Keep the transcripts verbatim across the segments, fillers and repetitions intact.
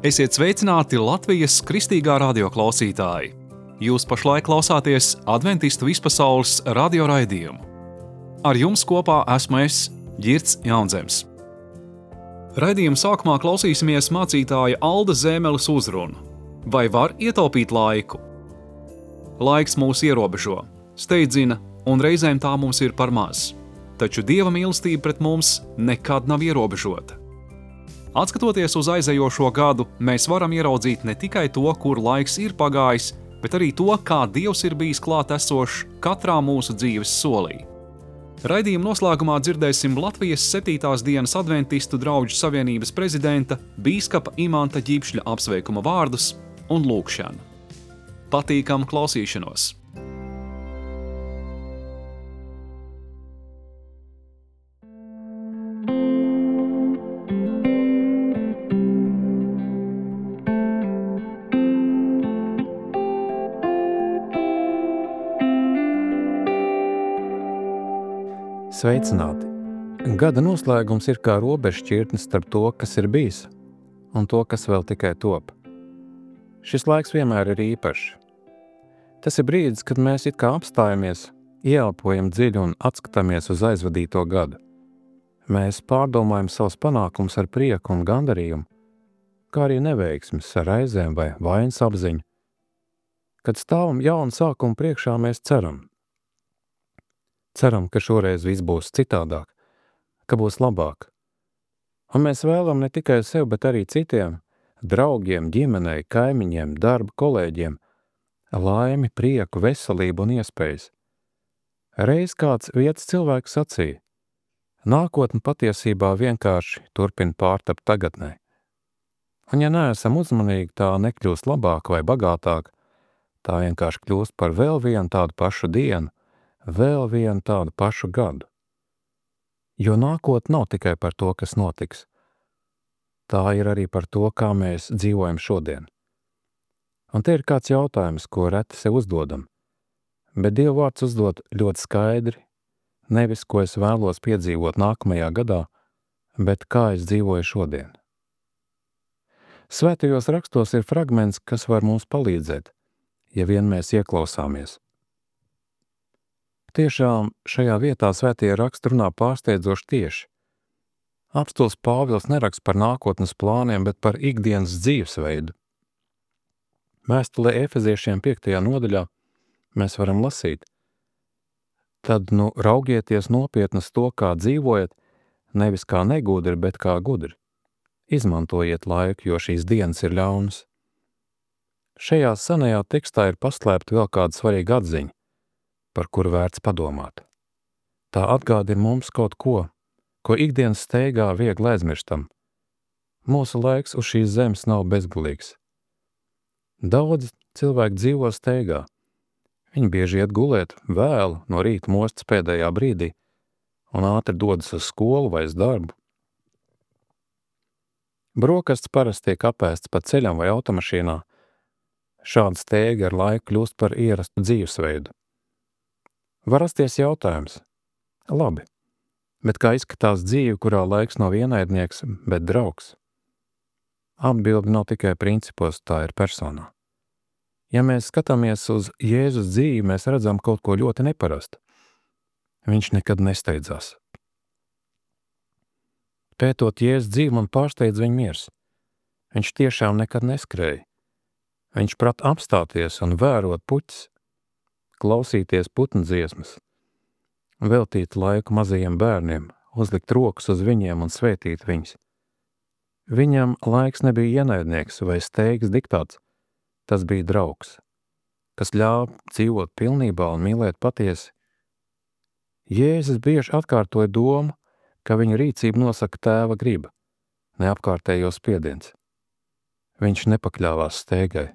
Esiet sveicināti Latvijas kristīgā radio klausītāji! Jūs pašlaik klausāties Adventistu vispasaules radio raidījumu. Ar jums kopā esmu es, Ģirds Jaunzems. Raidījuma sākumā klausīsimies mācītāja Alda Zēmeles uzrunu. Vai var ietaupīt laiku? Laiks mūs ierobežo, steidzina, un reizēm tā mums ir par maz. Taču Dieva mīlestība pret mums nekad nav ierobežota. Atskatoties uz aizējošo gadu, mēs varam ieraudzīt ne tikai to, kur laiks ir pagājis, bet arī to, kā Dievs ir bijis klāt esošs katrā mūsu dzīves solī. Raidījuma noslēgumā dzirdēsim Latvijas septītās dienas Adventistu drauģu savienības prezidenta bīskapa Imanta Ģipšļa apsveikuma vārdus un lūgšanu. Patīkamu klausīšanos! Sveicināti! Gada noslēgums ir kā robežšķirtne starp to, kas ir bijis, un to, kas vēl tikai top. Šis laiks vienmēr ir īpašs. Tas ir brīdis, kad mēs it kā apstājamies, ieelpojam dziļi un atskatāmies uz aizvadīto gadu. Mēs pārdomājam savus panākumus ar prieku un gandarījumu, kā arī neveiksmes ar raizēm vai vainas apziņu. Kad stāvam jaunu sākumu priekšā, mēs ceram. Ceram, ka šoreiz viss būs citādāk, ka būs labāk. Un mēs vēlam ne tikai sev, bet arī citiem, draugiem, ģimenei, kaimiņiem, darba kolēģiem, laimi, prieku, veselību un iespējas. Reiz kāds vietas cilvēks sacīja, nākotne patiesībā vienkārši turpina pārtapt tagadnē. Un ja neesam uzmanīgi, tā nekļūst labāk vai bagātāk, tā vienkārši kļūst par vēl vienu tādu pašu dienu, vēl vienu tādu pašu gadu. Jo nākotne nav tikai par to, kas notiks. Tā ir arī par to, kā mēs dzīvojam šodien. Un te ir kāds jautājums, ko reti sev uzdodam. Bet Dieva vārds uzdod ļoti skaidri, nevis, ko es vēlos piedzīvot nākamajā gadā, bet kā es dzīvoju šodien. Svētajos rakstos ir fragments, kas var mums palīdzēt, ja vien mēs ieklausāmies. Tiešām šajā vietā svētie raksti runā pārsteidzoši tieši. Apostils Pāvils neraksta par nākotnes plāniem, bet par ikdienas dzīvesveidu. Vēstulē Efeziešiem piektajā nodaļā mēs varam lasīt. Tad nu raugieties nopietni uz to, kā dzīvojat, nevis kā negudri, bet kā gudri. Izmantojiet laiku, jo šīs dienas ir ļaunas. Šajā senajā tekstā ir paslēpta vēl kāda svarīga atziņa, par kuru vērts padomāt. Tā atgādina mums kaut ko, ko ikdienas steigā viegli aizmirstam. Mūsu laiks uz šīs zemes nav bezgalīgs. Daudzi cilvēki dzīvo steigā. Viņi bieži iet gulēt vēlu no rīta mostas pēdējā brīdī un ātri dodas uz skolu vai uz darbu. Brokasts parasti tiek apēsts pa ceļam vai automašīnā. Šāda steiga ar laiku kļūst par ierastu dzīvesveidu. Var rasties jautājums. Labi, bet kā izskatās dzīve, kurā laiks nav ienaidnieks, bet draugs? Atbilde nav tikai principos, tā ir personā. Ja mēs skatāmies uz Jēzus dzīvi, mēs redzam kaut ko ļoti neparastu. Viņš nekad nesteidzās. Pētot Jēzus dzīvi, man pārsteidz viņa miers. Viņš tiešām nekad neskrēja. Viņš prat apstāties un vērot puķis, klausīties putnu dziesmas, veltīt laiku mazajiem bērniem, uzlikt rokas uz viņiem un svētīt viņus. Viņam laiks nebija ienaidnieks vai steigas diktāts, tas bija draugs, kas ļāva dzīvot pilnībā un mīlēt patiesi. Jēzus bieži atkārtoja domu, ka viņa rīcība nosaka tēva griba, ne apkārtējos spiediens. Viņš nepakļāvās steigai.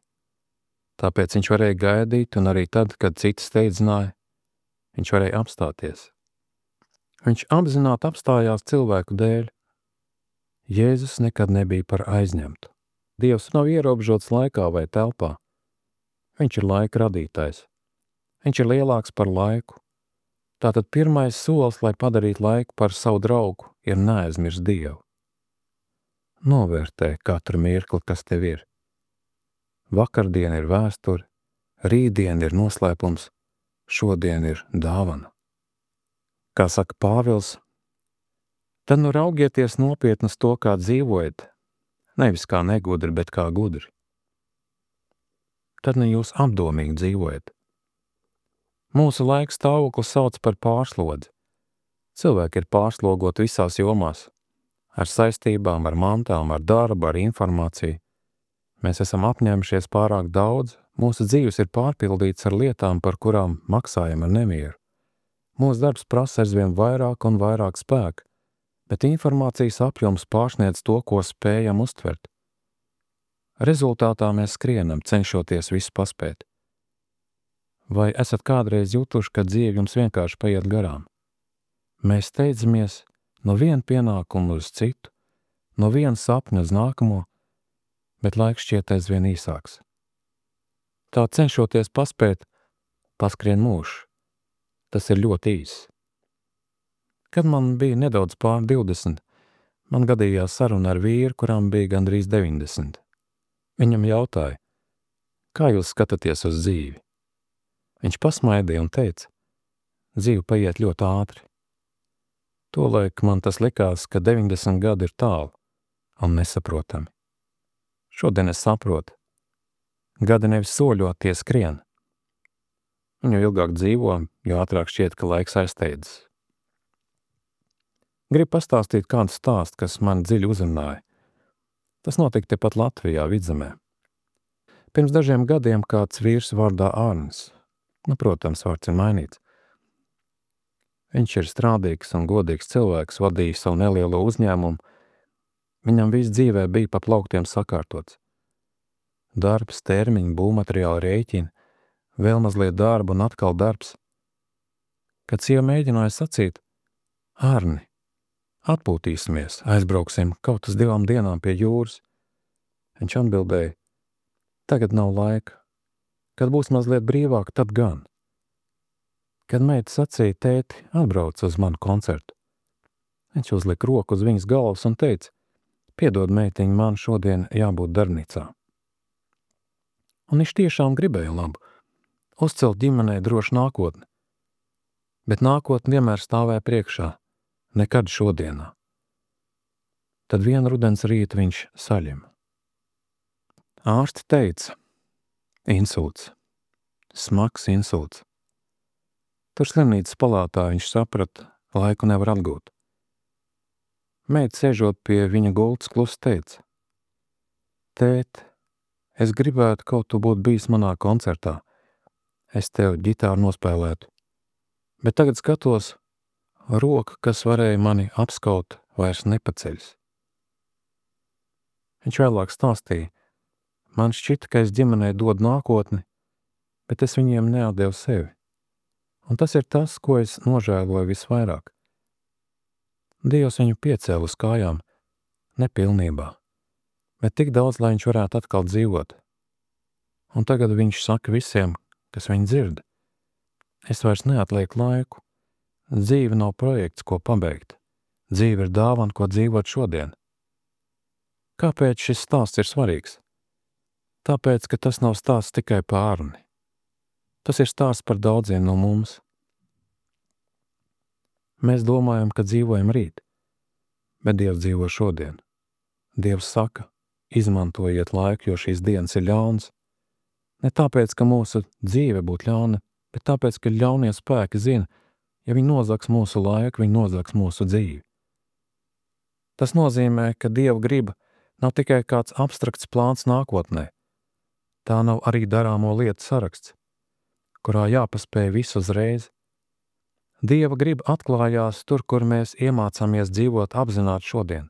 Tāpēc viņš varēja gaidīt, un arī tad, kad citi steidzināja, viņš varēja apstāties. Viņš apzināti apstājās cilvēku dēļ. Jēzus nekad nebija par aizņemtu. Dievs nav ierobežots laikā vai telpā. Viņš ir laika radītājs. Viņš ir lielāks par laiku. Tātad pirmais solis, lai padarītu laiku par savu draugu, ir neaizmirst Dievu. Novērtē katru mirkli, kas tev ir. Vakardiena ir vēsture, rītdiena ir noslēpums, šodien ir dāvana. Kā saka Pāvils, tad nu raugieties nopietni uz to, kā dzīvojat, nevis kā negudri, bet kā gudri. Tad nu jūs apdomīgi dzīvojat. Mūsu laika stāvokli sauc par pārslodzi. Cilvēki ir pārslogoti visās jomās, ar saistībām, ar mantām, ar darbu, ar informāciju. Mēs esam apņēmušies pārāk daudz, mūsu dzīves ir pārpildīts ar lietām, par kurām maksājam ar nemieru. Mūsu darbs prasa aizvien vairāk un vairāk spēka, bet informācijas apjoms pārsniedz to, ko spējam uztvert. Rezultātā mēs skrienam, cenšoties visu paspēt. Vai esat kādreiz jutuši, ka dzīve jums vienkārši paiet garām? Mēs steidzamies no viena pienākuma uz citu, no viena sapņa uz nākamo, bet laiks šķiet aizvien īsāks. Tā cenšoties paspēt, paskrien mūžs. Tas ir ļoti īss. Kad man bija nedaudz pār divdesmit, man gadījās saruna ar vīru, kurām bija gandrīz deviņdesmit. Viņam jautāja, kā jūs skatāties uz dzīvi? Viņš pasmaidīja un teica, dzīve paiet ļoti ātri. Tolaik man tas likās, ka deviņdesmit gadi ir tālu un nesaprotami. Šodien es saprotu, gadi nevis soļot, tie skrien. Un jo ilgāk dzīvo, jo ātrāk šķiet, ka laiks aizsteidzas. Gribu pastāstīt kādu stāstu, kas man dziļi uzrunāja. Tas notika tepat Latvijā, Vidzemē. Pirms dažiem gadiem kāds vīrs vārdā Arnis, nu, protams, vārds ir mainīts. Viņš ir strādīgs un godīgs cilvēks, vadīja savu nelielo uzņēmumu. Viņam viss dzīvē bija pa plauktiem sakārtots. Darbs, termiņi, būvmateriāli, rēķini, vēl mazliet darba un atkal darbs. Kad sieva mēģināja sacīt, Arni, atpūtīsimies, aizbrauksim kaut uz divām dienām pie jūras. Viņš atbildēja, tagad nav laika, kad būs mazliet brīvāk, tad gan. Kad meita sacīja, tēti, atbrauc uz manu koncertu. Viņš uzlika roku uz viņas galvas un teica, piedod meitiņu, man šodien jābūt darbnīcā. Un viņš tiešām gribēja labu, uzcelt ģimenei drošu nākotni. Bet nākotne vienmēr stāvēja priekšā, nekad šodienā. Tad vienu rudens rītu viņš saļem. Ārsti teica, insults, smags insults. Tur slimnīcas palātā viņš saprata, laiku nevar atgūt. Meita sēžot pie viņa gultas klusi teica, tēt, es gribētu kaut tu būt bijis manā koncertā, es tev ģitāru nospēlētu, bet tagad skatos, roka, kas varēja mani apskaut, vairs nepaceļas. Viņš vēlāk stāstīja, man šķita, ka es ģimenei dod nākotni, bet es viņiem neatdevu sevi. Un tas ir tas, ko es nožēloju visvairāk. Dievs viņu piecēla uz kājām, nepilnībā, bet tik daudz, lai viņš varētu atkal dzīvot. Un tagad viņš saka visiem, kas viņu dzird, es vairs neatlieku laiku. Dzīve nav projekts, ko pabeigt. Dzīve ir dāvana, ko dzīvot šodien. Kāpēc šis stāsts ir svarīgs? Tāpēc, ka tas nav stāsts tikai par Arni. Tas ir stāsts par daudziem no mums. Mēs domājam, ka dzīvojam rīt, bet Dievs dzīvo šodien. Dievs saka, izmantojiet laiku, jo šīs dienas ir ļauns. Ne tāpēc, ka mūsu dzīve būtu ļauna, bet tāpēc, ka ļaunie spēki zina, ja viņi nozags mūsu laiku, viņi nozags mūsu dzīvi. Tas nozīmē, ka Dieva griba nav tikai kāds abstrakts plāns nākotnē. Tā nav arī darāmo lietu saraksts, kurā jāpaspēj visu uzreiz. Dieva griba atklājās tur, kur mēs iemācāmies dzīvot apzināti šodien.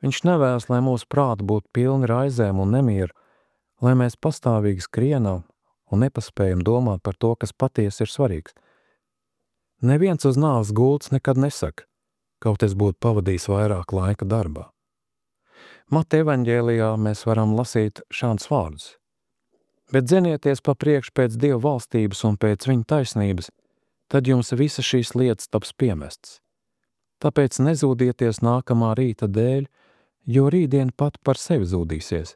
Viņš nevēlas, lai mūsu prāti būtu pilni raizēm un nemieru, lai mēs pastāvīgi skrienam un nepaspējam domāt par to, kas patiesi ir svarīgs. Neviens uz nāves gultas nekad nesaka, kaut es būtu pavadījis vairāk laika darbā. Mata evaņģēlijā mēs varam lasīt šādus vārdus. Bet dzenieties pa priekšu pēc Dieva valstības un pēc viņa taisnības, tad jums visas šīs lietas taps piemestas. Tāpēc nezūdieties nākamā rīta dēļ, jo rītdien pat par sevi zūdīsies.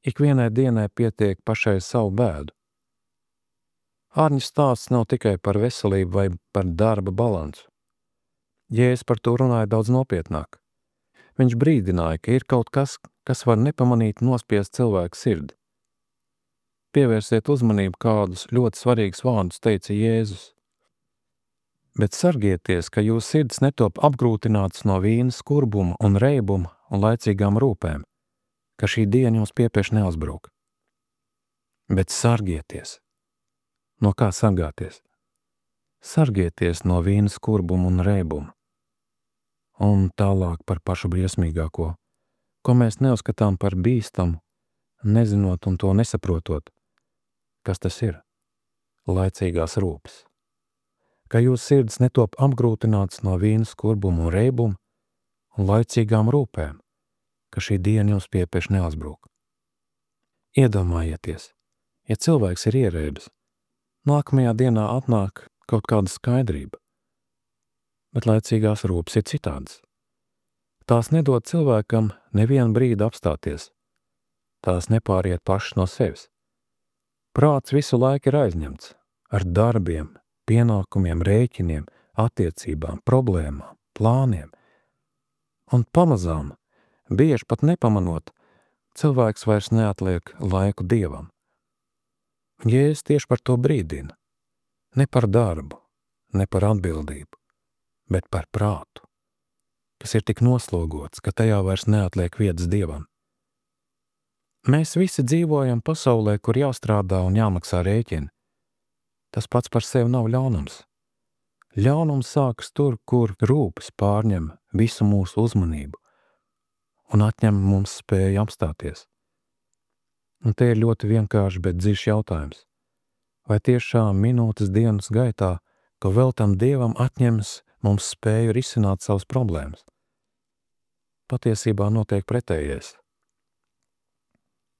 Ikvienai dienai pietiek pašai savu bēdu. Ārņu stāsts nav tikai par veselību vai par darba balansu. Jēzus par to runāja daudz nopietnāk. Viņš brīdināja, ka ir kaut kas, kas var nepamanīt nospiest cilvēku sirdi. Pievērsiet uzmanību, kādus ļoti svarīgus vārdus teica Jēzus. Bet sargieties, ka jūs sirds netop apgrūtināts no vīna skurbuma un reibuma un laicīgām rūpēm, ka šī diena jums piepieši neuzbruk. Bet sargieties. No kā sargāties? Sargieties no vīna skurbuma un reibuma. Un tālāk par pašu briesmīgāko, ko mēs neuzskatām par bīstamu, nezinot un to nesaprotot. Kas tas ir? Laicīgās rūpes. Ka jūs sirds netop apgrūtināts no vīna skurbuma un reibuma un laicīgām rūpēm, ka šī diena jums piepieši neuzbruk. Iedomājieties, ja cilvēks ir ierēbis, nākamajā dienā atnāk kaut kāda skaidrība, bet laicīgās rūpes ir citādas. Tās nedod cilvēkam nevienu brīdi apstāties. Tās nepāriet pašas no sevis. Prāts visu laiku ir aizņemts ar darbiem, pienākumiem, rēķiniem, attiecībām, problēmām, plāniem. Un pamazām, bieži pat nepamanot, cilvēks vairs neatliek laiku Dievam. Jēzus tieši par to brīdina. Ne par darbu, ne par atbildību, bet par prātu, kas ir tik noslogots, ka tajā vairs neatliek vietas Dievam. Mēs visi dzīvojam pasaulē, kur jāstrādā un jāmaksā rēķini. Tas pats par sevi nav ļaunums. Ļaunums sākas tur, kur rūpes pārņem visu mūsu uzmanību un atņem mums spēju apstāties. Un te ir ļoti vienkārši, bet dziļš jautājums. Vai tiešām minūtes dienas gaitā, ko veltam Dievam, atņems mums spēju risināt savas problēmas? Patiesībā notiek pretējais.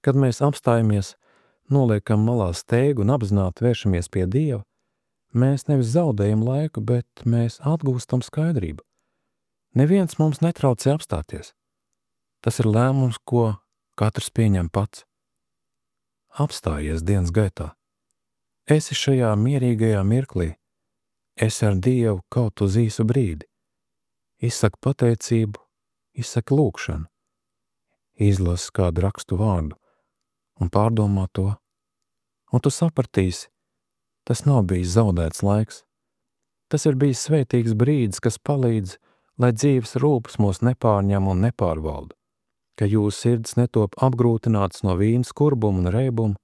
Kad mēs apstājamies, noliekam malā steigu un apzināti vēršamies pie Dieva, mēs nevis zaudējam laiku, bet mēs atgūstam skaidrību. Neviens mums netraucē apstāties. Tas ir lēmums, ko katrs pieņem pats. Apstājies dienas gaitā. Esi šajā mierīgajā mirklī. Esi ar Dievu kaut uz īsu brīdi. Izsaki pateicību, izsaki lūgšanu. Izlasi kādu rakstu vārdu un pārdomā to. Un tu sapratīsi, tas nav bijis zaudēts laiks. Tas ir bijis svētīgs brīdis, kas palīdz, lai dzīves rūpes mūs nepārņem un nepārvalda, ka jūsu sirds netop apgrūtināts no vīna skurbuma un reibuma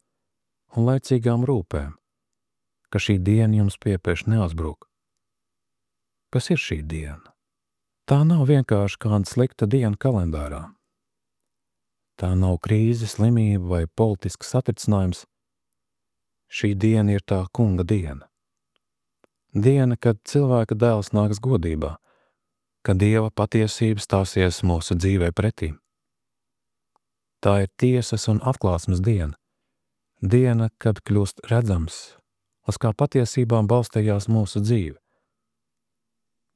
un laicīgām rūpēm, ka šī diena jums piepieši neuzbruk. Kas ir šī diena? Tā nav vienkārši kāda slikta diena kalendārā. Tā nav krīze, slimība vai politisks satricinājums. Šī diena ir tā kunga diena. Diena, kad cilvēka dēls nāks godībā, kad Dieva patiesība stāsies mūsu dzīvē pretī. Tā ir tiesas un atklāsmes diena. Diena, kad kļūst redzams, uz kā patiesībām balstījās mūsu dzīve.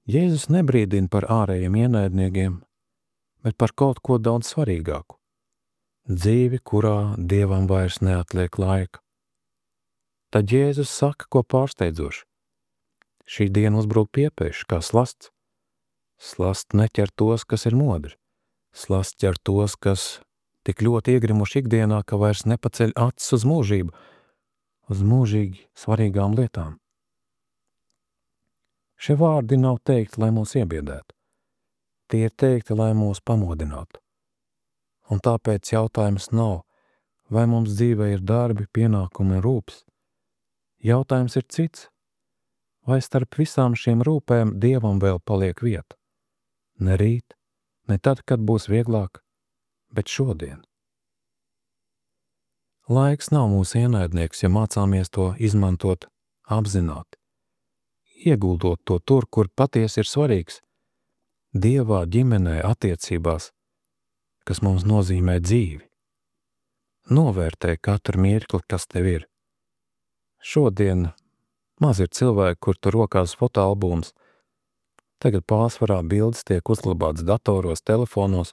Jēzus nebrīdina par ārējiem ienaidniekiem, bet par kaut ko daudz svarīgāku. Dzīvi, kurā Dievam vairs neatliek laika. Tad Jēzus saka, ko pārsteidzoši. Šī diena uzbruk piepieši, kā slasts. Slasts neķer tos, kas ir modri. Slasts ķer tos, kas tik ļoti iegrimuši ikdienā, ka vairs nepaceļ acis uz mūžību, uz mūžīgi svarīgām lietām. Šie vārdi nav teikti, lai mūs iebiedētu. Tie ir teikti, lai mūs pamodinātu. Un tāpēc jautājums nav, vai mums dzīvē ir darbi, pienākumi un rūpes. Jautājums ir cits, vai starp visām šīm rūpēm Dievam vēl paliek vieta. Ne rīt, ne tad, kad būs vieglāk, bet šodien. Laiks nav mūsu ienaidnieks, ja mācāmies to izmantot apzināti. Ieguldot to tur, kur patiesi ir svarīgs. Dievā, ģimenē, attiecībās, kas mums nozīmē dzīvi. Novērtē katru mirkli, kas tev ir. Šodien maz ir cilvēki, kur tu rokās fotoalbums. Tagad pārsvarā bildes tiek uzglabātas datoros, telefonos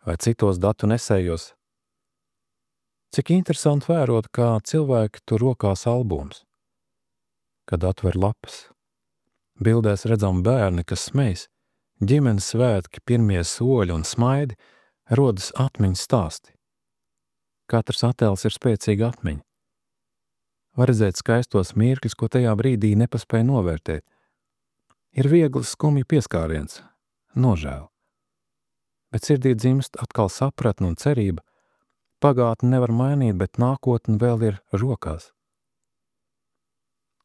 vai citos datu nesējos. Cik interesanti vērot, kā cilvēki tur rokās albums, kad atver lapas. Bildēs redzam bērni, kas smejas, ģimenes svētki, pirmie soļi un smaidi, rodas atmiņas stāsti. Katrs attēls ir spēcīga atmiņa. Var redzēt skaistos mirkļus, ko tajā brīdī nepaspēja novērtēt. Ir viegli skumji pieskāriens, nožēla. Bet sirdī dzimst atkal sapratne un cerība. Pagātni nevar mainīt, bet nākotne vēl ir rokās.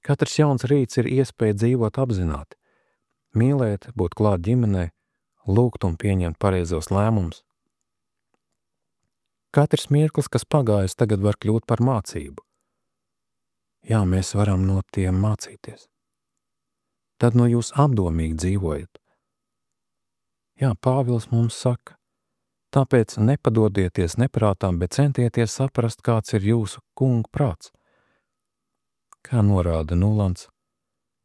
Katrs jauns rīts ir iespēja dzīvot apzināti, mīlēt, būt klāt ģimenei, lūgt un pieņemt pareizos lēmumus. Katrs mirklis, kas pagājis, tagad var kļūt par mācību. Jā, mēs varam no tiem mācīties. Tad no jūs apdomīgi dzīvojat. Jā, Pāvils mums saka, tāpēc nepadodieties neprātām, bet centieties saprast, kāds ir jūsu kunga prāts. Kā norāda Nulants,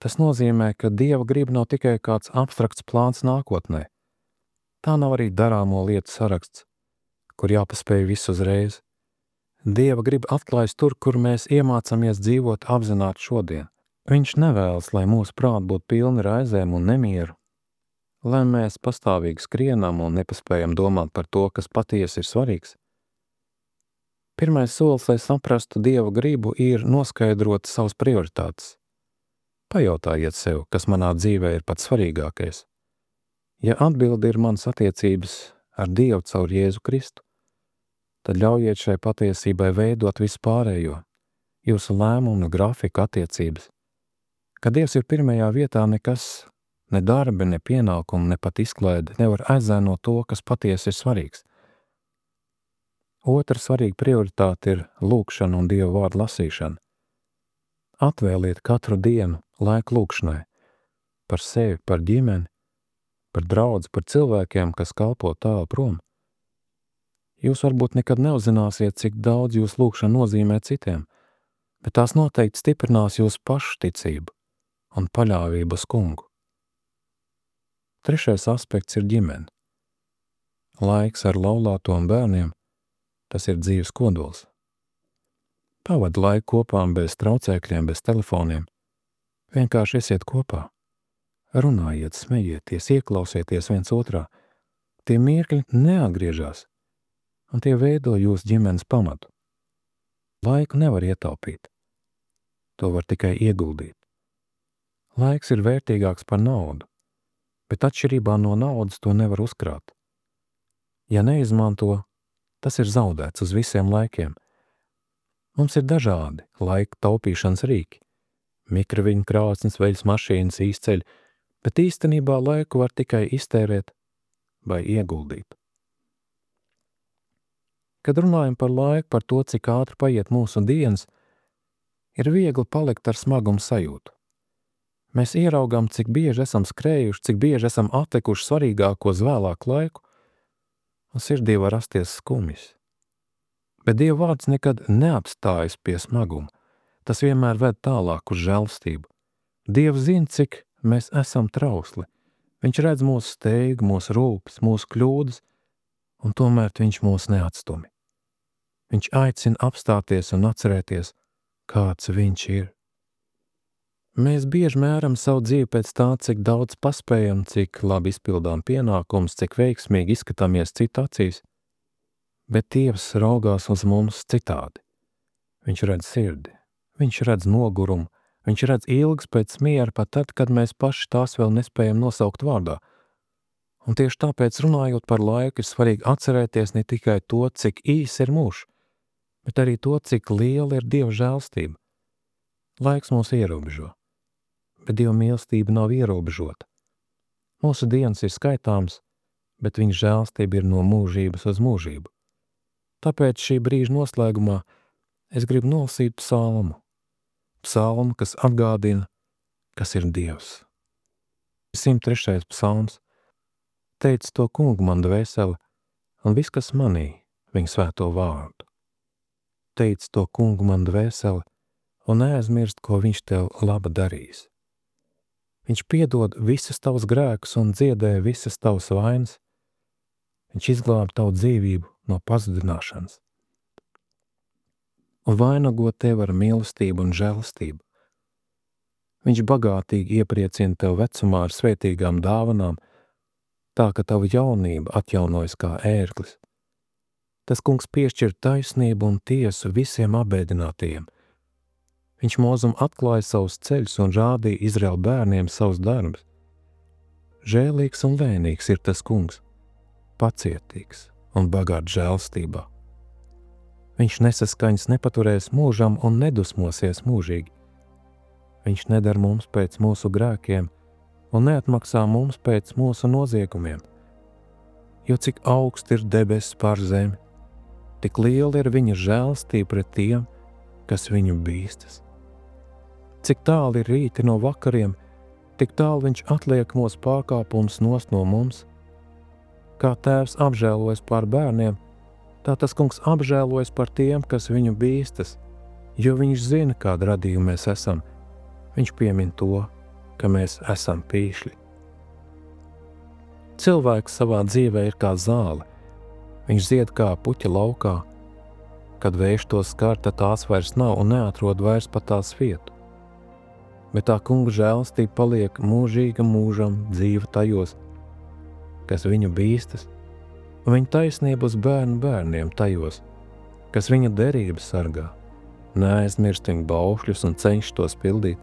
tas nozīmē, ka Dieva griba nav tikai kāds abstrakts plāns nākotnē. Tā nav arī darāmo lietu saraksts, kur jāpaspēj visu uzreiz. Dieva griba atklājas tur, kur mēs iemācamies dzīvot apzināti šodien. Viņš nevēlas, lai mūsu prāti būtu pilni raizēm un nemieru, lai mēs pastāvīgi skrienam un nepaspējam domāt par to, kas patiesi ir svarīgs. Pirmais solis, lai saprastu Dieva gribu, ir noskaidrot savas prioritātes. Pajautājiet sev, kas manā dzīvē ir pats svarīgākais. Ja atbilde ir manas attiecības ar Dievu caur Jēzu Kristu, tad ļaujiet šai patiesībai veidot visu pārējo, jūsu lēmumu, grafiku, attiecības. Kad Dievs ir pirmajā vietā, nekas, ne darbi, ne pienākumi, ne pat izklaide nevar aizēnot to, kas patiesi ir svarīgs. Otra svarīga prioritāte ir lūgšana un Dieva vārdu lasīšana. Atvēliet katru dienu laiku lūgšanai par sevi, par ģimeni, par draudzi, par cilvēkiem, kas kalpo tālu prom. Jūs varbūt nekad neuzzināsiet, cik daudz jūs lūgšana nozīmē citiem, bet tās noteikti stiprinās jūsu pašu ticību un paļāvību uz kungu. Trešais aspekts ir ģimene. Laiks ar laulāto un bērniem, tas ir dzīves kodols. Pavadi laiku kopā bez traucēkļiem, bez telefoniem. Vienkārši esiet kopā. Runājiet, smejieties, ieklausieties viens otrā. Tie mirkļi neatgriežas, un tie veido jūsu ģimenes pamatu. Laiku nevar ietaupīt. To var tikai ieguldīt. Laiks ir vērtīgāks par naudu, bet atšķirībā no naudas to nevar uzkrāt. Ja neizmanto, tas ir zaudēts uz visiem laikiem. Mums ir dažādi laika taupīšanas rīki. Mikroviņu krāsnes, veļas mašīnas, īsceļi, bet īstenībā laiku var tikai iztērēt vai ieguldīt. Kad runājam par laiku, par to, cik ātri paiet mūsu dienas, ir viegli palikt ar smagumu sajūtu. Mēs ieraugām, cik bieži esam skrējuši, cik bieži esam atlikuši svarīgāko uz vēlāku laiku, un sirdī var rasties skumjas. Bet Dieva vārds nekad neapstājas pie smaguma. Tas vienmēr ved tālāk uz žēlastību. Dievs zina, cik mēs esam trausli. Viņš redz mūsu steigu, mūsu rūpes, mūsu kļūdas, un tomēr viņš mūs neatstumi. Viņš aicina apstāties un atcerēties, kāds viņš ir. Mēs bieži mēram savu dzīvi pēc tā, cik daudz paspējam, cik labi izpildām pienākumus, cik veiksmīgi izskatāmies citu acīs, bet Dievs raugās uz mums citādi. Viņš redz sirdi, viņš redz nogurumu, viņš redz ilgas pēc miera pat tad, kad mēs paši tās vēl nespējam nosaukt vārdā. Un tieši tāpēc, runājot par laiku, ir svarīgi atcerēties ne tikai to, cik īs ir mūžs, bet arī to, cik liela ir Dieva žēlstība. Laiks mūs ierobežo, bet Dieva mīlestība nav ierobežota. Mūsu dienas ir skaitāms, bet viņa žēlstība ir no mūžības uz mūžību. Tāpēc šī brīža noslēgumā es gribu nolasīt psalmu. Psalmu, kas atgādina, kas ir Dievs. simt trešais psalms. Teic to kungu man dvēsele, un viss, kas manī, viņa svēto vārdu. Teic to kungu man dvēsele, un neaizmirst, ko viņš tev laba darīs. Viņš piedod visas tavas grēkus un dziedē visas tavas vainas. Viņš izglāba tavu dzīvību no pazudināšanas un vainago tevi ar mīlestību un žēlastību. Viņš bagātīgi iepriecina tev vecumā ar svētīgām dāvanām, tā ka tava jaunība atjaunojas kā ērglis. Tas kungs piešķir taisnību un tiesu visiem apbēdinātajiem. Viņš mūzum atklāja savus ceļus un rādīja Izraēla bērniem savus darbus. Žēlīgs un lēnīgs ir tas kungs, pacietīgs un bagāts žēlstībā. Viņš nesaskaņas nepaturēs mūžam un nedusmosies mūžīgi. Viņš nedara mums pēc mūsu grēkiem un neatmaksā mums pēc mūsu noziegumiem. Jo cik augsts ir debesis pār zemi, tik liela ir viņa žēlstība pret tiem, kas viņu bīstas. Cik tālu ir rīti no vakariem, tik tālu viņš atliek mūsu pārkāpumus nost no mums. Kā tēvs apžēlojas par bērniem, tā tas kungs apžēlojas par tiem, kas viņu bīstas, jo viņš zina, kādu radījumu mēs esam. Viņš piemin to, ka mēs esam pīšļi. Cilvēks savā dzīvē ir kā zāle. Viņš zied kā puķa laukā. Kad vējš to skar, tad tās vairs nav un neatrod vairs pat tās vietu. Bet tā kunga žēlastība paliek mūžīga mūžam dzīva tajos, kas viņu bīstas, un viņa taisnība uz bērnu bērniem tajos, kas viņa derību sargā, neaizmirst viņa baušļus un cenšas tos pildīt.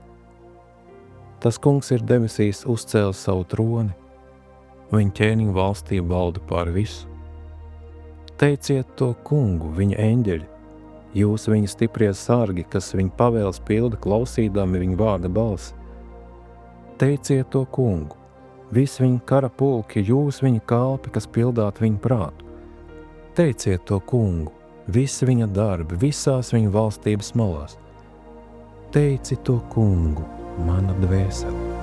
Tas kungs ir debesīs uzcēlis savu troni, un viņa ķēniņa valstība valda pār visu. Teiciet to kungu, viņa eņģeļi, jūs viņa stiprie sargi, kas viņa pavēles pilda klausīdami viņa vārda balsi. Teiciet to kungu, visi viņa kara pulki, jūs viņa kalpi, kas pildāt viņa prātu. Teiciet to kungu, visi viņa darbi, visās viņa valstības malās. Teici to kungu, mana dvēsele.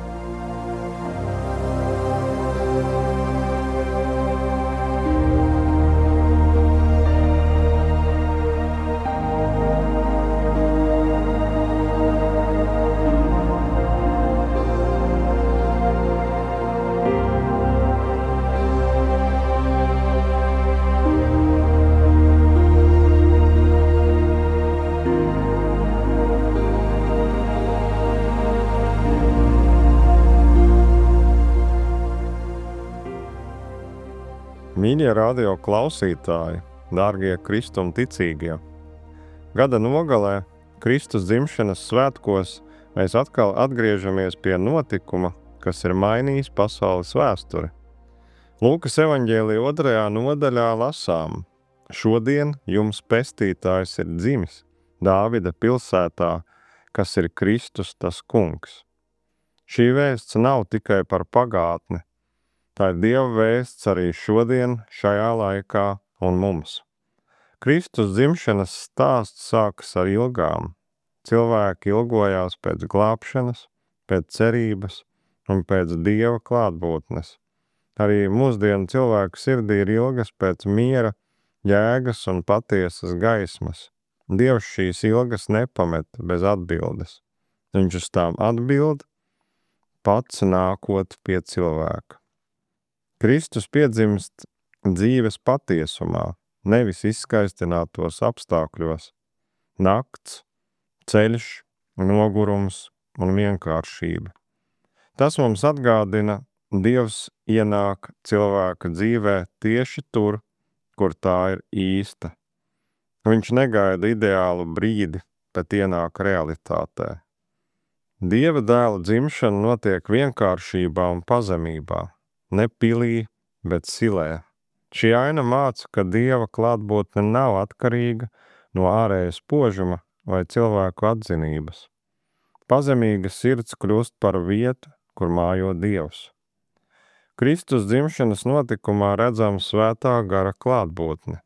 Mīļie radio klausītāji, dārgie Kristum ticīgie! Gada nogalē, Kristus dzimšanas svētkos, mēs atkal atgriežamies pie notikuma, kas ir mainījis pasaules vēsturi. Lūkas evaņģēlija otrajā nodaļā lasām: Šodien jums pestītājs ir dzimis, Dāvida pilsētā, kas ir Kristus tas kungs. Šī vēsts nav tikai par pagātni, tā ir Dieva vēsts arī šodien, šajā laikā un mums. Kristus dzimšanas stāsts sākas ar ilgām. Cilvēki ilgojās pēc glābšanas, pēc cerības un pēc Dieva klātbūtnes. Arī mūsdienu cilvēku sirdī ir ilgas pēc miera, jēgas un patiesas gaismas. Dievs šīs ilgas nepamet bez atbildes. Viņš uz tām atbild, pats nākot pie cilvēka. Kristus piedzimst dzīves patiesumā, nevis izskaistinātos apstākļos. Nakts, ceļš, nogurums un vienkāršība. Tas mums atgādina, Dievs ienāk cilvēka dzīvē tieši tur, kur tā ir īsta. Viņš negaida ideālu brīdi, bet ienāk realitātē. Dieva dēla dzimšana notiek vienkāršībā un pazemībā. Ne pilī, bet silē. Šī aina māca, ka Dieva klātbūtne nav atkarīga no ārējas spožuma vai cilvēku atzinības. Pazemīga sirds kļūst par vietu, kur mājo Dievs. Kristus dzimšanas notikumā redzam svētā gara klātbūtne.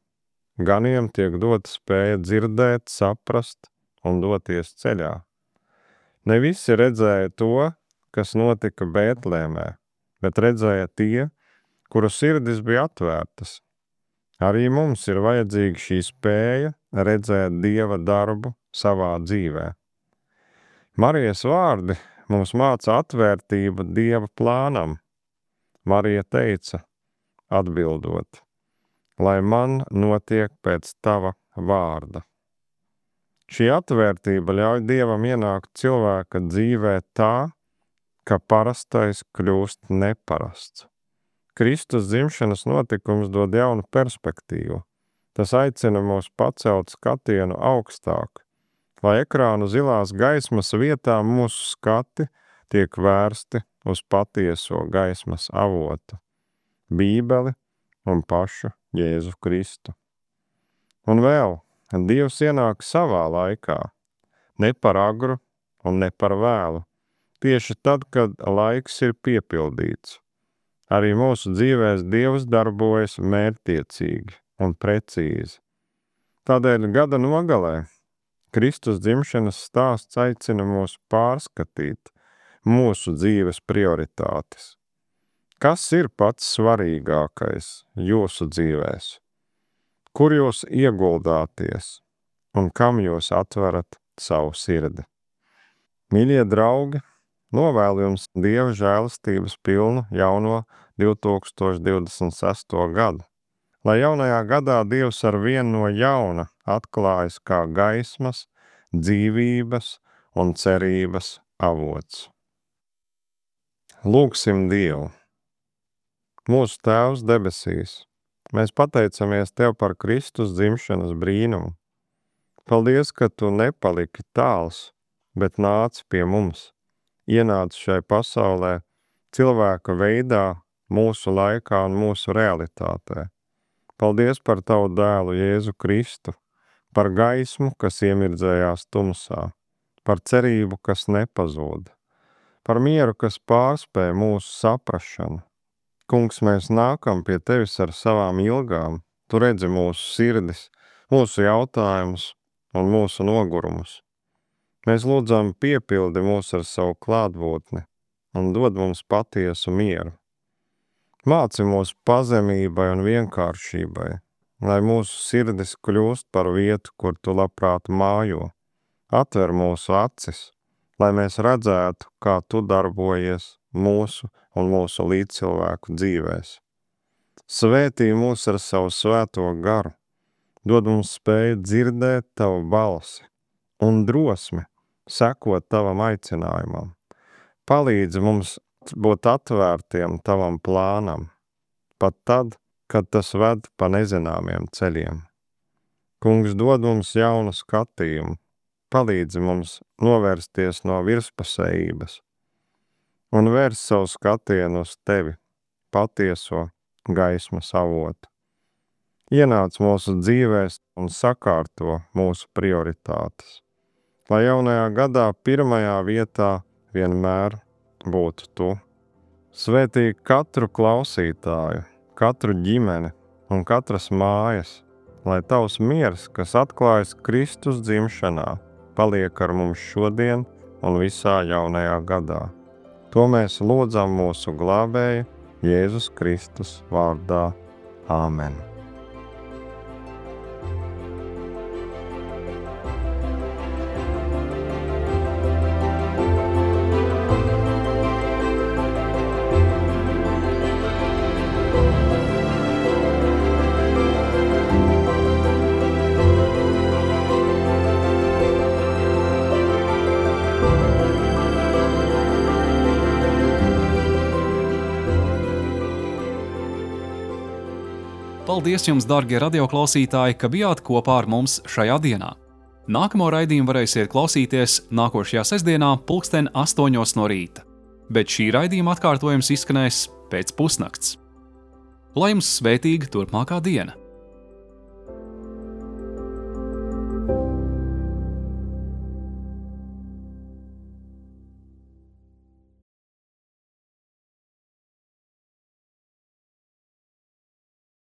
Ganiem tiek dota spēja dzirdēt, saprast un doties ceļā. Ne visi redzēja to, kas notika Bētlēmē, bet redzēja tie, kuru sirdis bija atvērtas. Arī mums ir vajadzīga šī spēja redzēt Dieva darbu savā dzīvē. Marijas vārdi mums māca atvērtību Dieva plānam. Marija teica, atbildot: lai man notiek pēc tava vārda. Šī atvērtība ļauj Dievam ienākt cilvēka dzīvē tā, ka parastais kļūst neparasts. Kristus dzimšanas notikums dod jaunu perspektīvu. Tas aicina mūs pacelt skatienu augstāk, lai ekrānu zilās gaismas vietā mūsu skati tiek vērsti uz patieso gaismas avotu, Bībeli un pašu Jēzu Kristu. Un vēl, Dievs ienāk savā laikā, ne par agru un ne par vēlu, tieši tad, kad laiks ir piepildīts. Arī mūsu dzīvēs Dievs darbojas mērķtiecīgi un precīzi. Tādēļ gada nogalē Kristus dzimšanas stāsts aicina mūs pārskatīt mūsu dzīves prioritātes. Kas ir pats svarīgākais jūsu dzīvēs? Kur jūs ieguldāties un kam jūs atverat savu sirdi? Mīļie draugi, novēlu jums Dieva žēlastības pilnu jauno divi tūkstoši divdesmit sesto gadu. Lai jaunajā gadā Dievs ar vienu no jauna atklājas kā gaismas, dzīvības un cerības avots. Lūgsim Dievu. Mūsu Tēvs debesīs, mēs pateicamies Tev par Kristus dzimšanas brīnumu. Paldies, ka Tu nepaliki tāls, bet nāci pie mums, ienāci šai pasaulē cilvēka veidā, mūsu laikā un mūsu realitātē. Paldies par Tavu dēlu Jēzu Kristu, par gaismu, kas iemirdzējās tumsā, par cerību, kas nepazūd, par mieru, kas pārspēj mūsu saprašanu. Kungs, mēs nākam pie Tevis ar savām ilgām, Tu redzi mūsu sirdis, mūsu jautājumus un mūsu nogurumus. Mēs lūdzam piepildi mūs ar savu klātbūtni un dod mums patiesu mieru. Māci mūs pazemībai un vienkāršībai, lai mūsu sirdis kļūst par vietu, kur Tu labprāt mājo. Atver mūsu acis, lai mēs redzētu, kā Tu darbojies mūsu un mūsu līdzcilvēku dzīvēs. Svētī mūs ar savu svēto garu, dod mums spēju dzirdēt Tavu balsi un drosmi sekot Tavam aicinājumam. Palīdzi mums būt atvērtiem Tavam plānam, pat tad, kad tas ved pa nezināmiem ceļiem. Kungs, dod mums jaunu skatījumu, palīdzi mums novērsties no virspusējības un vērst savu skatienu uz Tevi, patieso gaismas avotu. Ienāc mūsu dzīvēs un sakārto mūsu prioritātes, lai jaunajā gadā pirmajā vietā vienmēr būtu Tu. Svētī katru klausītāju, katru ģimeni un katras mājas, lai Tavs miers, kas atklājas Kristus dzimšanā, paliek ar mums šodien un visā jaunajā gadā. To mēs lūdzam mūsu glābēja Jēzus Kristus vārdā. Āmen. Paldies jums, dargie radioklausītāji, ka bijāt kopā ar mums šajā dienā. Nākamo raidījumu varēsiet klausīties nākošajā sestdienā pulksten astoņos no rīta, bet šī raidījuma atkārtojums izskanēs pēc pusnakts. Lai jums svētīga turpmākā diena!